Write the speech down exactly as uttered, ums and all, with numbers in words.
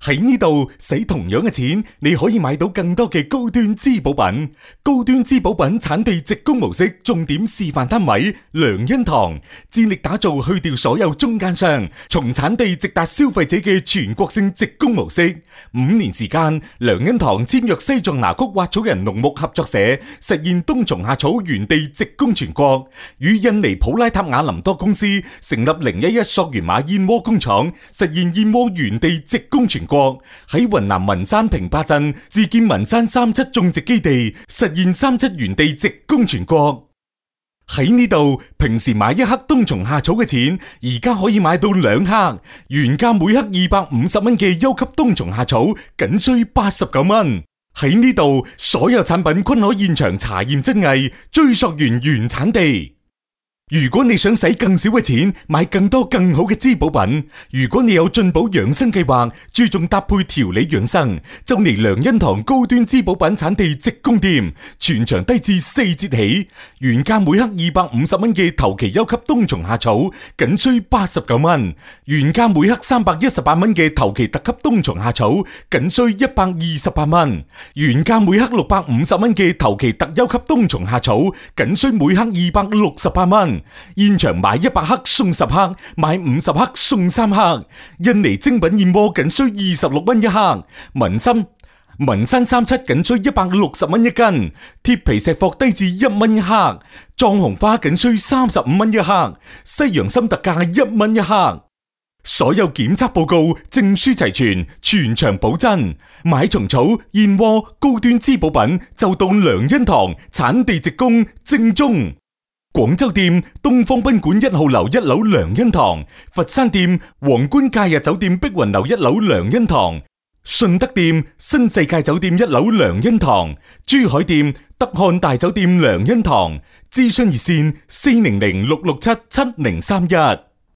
喺呢度使同樣嘅錢，你可以買到更多嘅高端滋補品。高端滋補品產地直供模式重點示範單位良恩堂，致力打造去掉所有中間商，從產地直達消費者嘅全國性直供模式。五年時間，良恩堂簽約西藏牙曲挖草人農牧合作社，實現冬蟲夏草原地直供全國。與印尼普拉塔雅林多公司成立零一一溯源馬燕窩工廠，實現燕窩原地直供全國。喺雲南文山平巴鎮自建文山三七種植基地，實現三七原地直供全國。喺呢度，平時買一克冬蟲夏草嘅錢，而家可以買到兩克，原價每克二百五十蚊嘅優級冬蟲夏草，僅需八十九蚊。喺呢度，所有產品均可現場查驗真偽，追溯源原產地。如果你想使更少嘅錢買更多更好嘅滋補品，如果你有進補養生計劃，注重搭配調理養生，就嚟良恩堂高端滋補品產地直供店，全場低至四折起，原價每克二百五十蚊嘅頭期優級冬蟲夏草，僅需八十九蚊；原價每克三百一十八蚊嘅頭期特級冬蟲夏草，僅需一百二十八蚊；原價每克六百五十蚊嘅頭期特優級冬蟲夏草，僅需每克二百六十八蚊。現場買一百克送十克，買五十克送三克。印尼精品燕窩僅需二十六蚊一克，文心文山三七僅需一百六十蚊一斤，鐵皮石貨低至一蚊一克，藏紅花僅需三十五蚊一克，西洋參特價一蚊一克。所有檢測報告證書齊全，全場保真。買蟲草、燕窩、高端滋補品就到良恩堂，產地直供，正宗。廣州店東方賓館一號樓一樓良恩堂，佛山店皇冠假日酒店碧雲樓一樓良恩堂，順德店新世界酒店一樓良恩堂，珠海店德漢大酒店良恩堂。諮詢熱線四零零六六七七零三一。